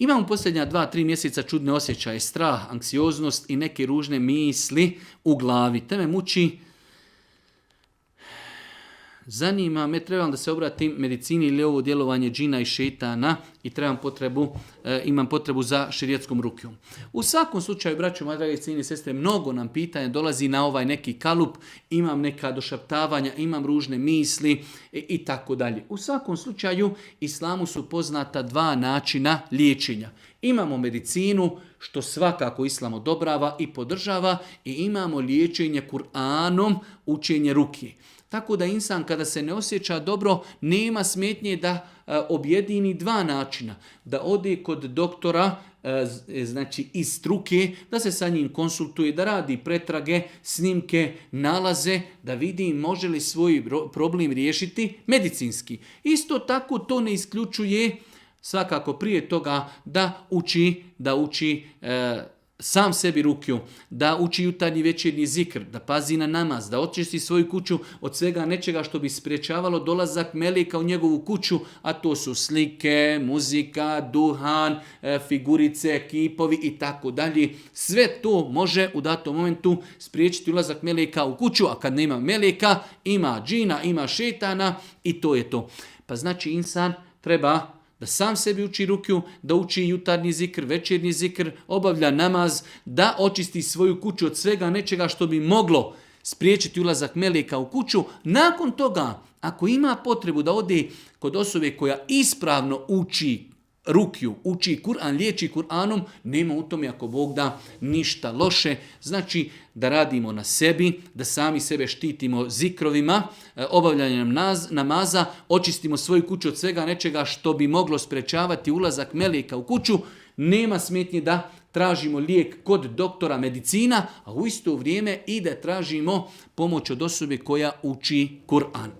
Imamo posljednja 2-3 mjeseca čudne osjećaje, strah, anksioznost i neke ružne misli u glavi. Te me muči. Zanima me, trebam da se obratim medicini ili ovo djelovanje džina i šetana i imam potrebu za šerijetskom rukijom. U svakom slučaju, braćo, moje drage cijene sestre, mnogo nam pitanja dolazi na ovaj neki kalup, imam neka došaptavanja, imam ružne misli i tako dalje. U svakom slučaju, islamu su poznata 2 načina liječenja. Imamo medicinu, što svakako islam odobrava i podržava, i imamo liječenje Kur'anom, učenje rukije. Tako da insan kada se ne osjeća dobro, nema smetnje da objedini 2 načina. Da ode kod doktora, znači iz struke, da se sa njim konsultuje, da radi pretrage, snimke, nalaze, da vidi može li svoj problem riješiti medicinski. Isto tako to ne isključuje svakako prije toga da uči sam sebi rukiju, da uči jutarnji večernji zikr, da pazi na namaz, da očisti svoju kuću od svega nečega što bi spriječavalo dolazak meleka u njegovu kuću, a to su slike, muzika, duhan, figurice, kipovi i tako dalje. Sve to može u datom momentu spriječiti ulazak meleka u kuću, a kad nema meleka, ima džina, ima šetana i to je to. Pa znači insan treba da sam sebi uči rukiju, da uči jutarnji zikr, večernji zikr, obavlja namaz, da očisti svoju kuću od svega nečega što bi moglo spriječiti ulazak meleka u kuću. Nakon toga, ako ima potrebu da ode kod osobe koja ispravno uči rukiju, uči Kur'an, liječi Kur'anom, nema u tome, ako Bog da, ništa loše. Znači da radimo na sebi, da sami sebe štitimo zikrovima, obavljanjem namaza, očistimo svoju kuću od svega nečega što bi moglo sprečavati ulazak meleka u kuću. Nema smetnje da tražimo lijek kod doktora medicina, a u isto vrijeme i da tražimo pomoć od osobe koja uči Kur'an.